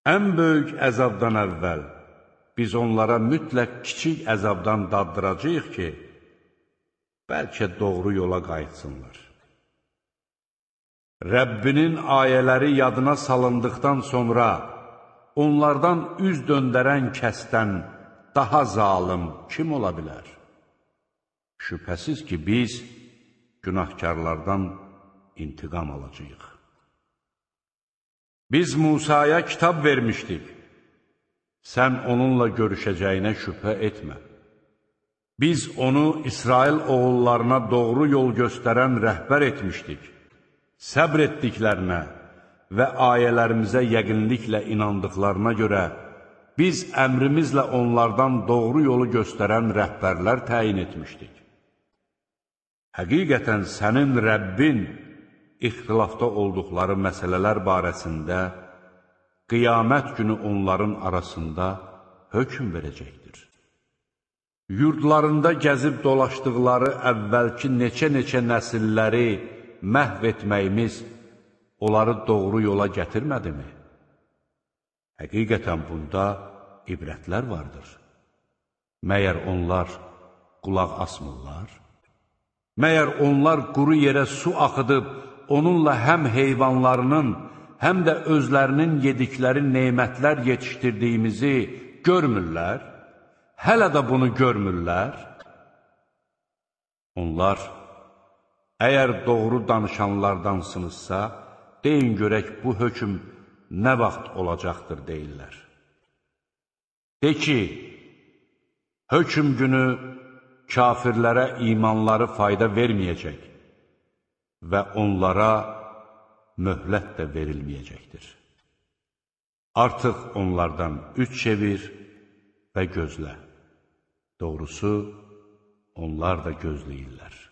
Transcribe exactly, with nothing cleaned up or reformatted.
Ən böyük əzabdan əvvəl biz onlara mütləq kiçik əzabdan daddıracağıq ki, bəlkə doğru yola qayıtsınlar. Rəbbinin ayələri yadına salındıqdan sonra onlardan üz döndərən kəsdən daha zalım kim ola bilər? Şübhəsiz ki, biz günahkarlardan intiqam alacağıq. Biz Musaya kitab vermişdik. Sən onunla görüşəcəyinə şübhə etmə. Biz onu İsrail oğullarına doğru yol göstərən rəhbər etmişdik. Səbr etdiklərinə və ayələrimizə yəqinliklə inandıqlarına görə biz əmrimizlə onlardan doğru yolu göstərən rəhbərlər təyin etmişdik. Həqiqətən sənin Rəbbin ixtilafda olduqları məsələlər barəsində qiyamət günü onların arasında hökm verəcəkdir. Yurdlarında gəzib dolaşdıqları əvvəlki neçə-neçə nəsilləri məhv etməyimiz onları doğru yola gətirmədimi? Həqiqətən bunda ibrətlər vardır. Məyər onlar qulaq asmırlar? Məyər onlar quru yerə su axıdıb, onunla həm heyvanlarının, həm də özlərinin yedikləri nemətlər yetişdirdiyimizi görmürlər? Hələ də bunu görmürlər? Onlar, əgər doğru danışanlardansınızsa, deyin görək bu hökm nə vaxt olacaqdır deyirlər. De ki, hökm günü kafirlərə imanları fayda verməyəcək və onlara möhlət də verilməyəcəkdir. Artıq onlardan üç çevir və gözlə. Doğrusu, onlar da gözləyirlər.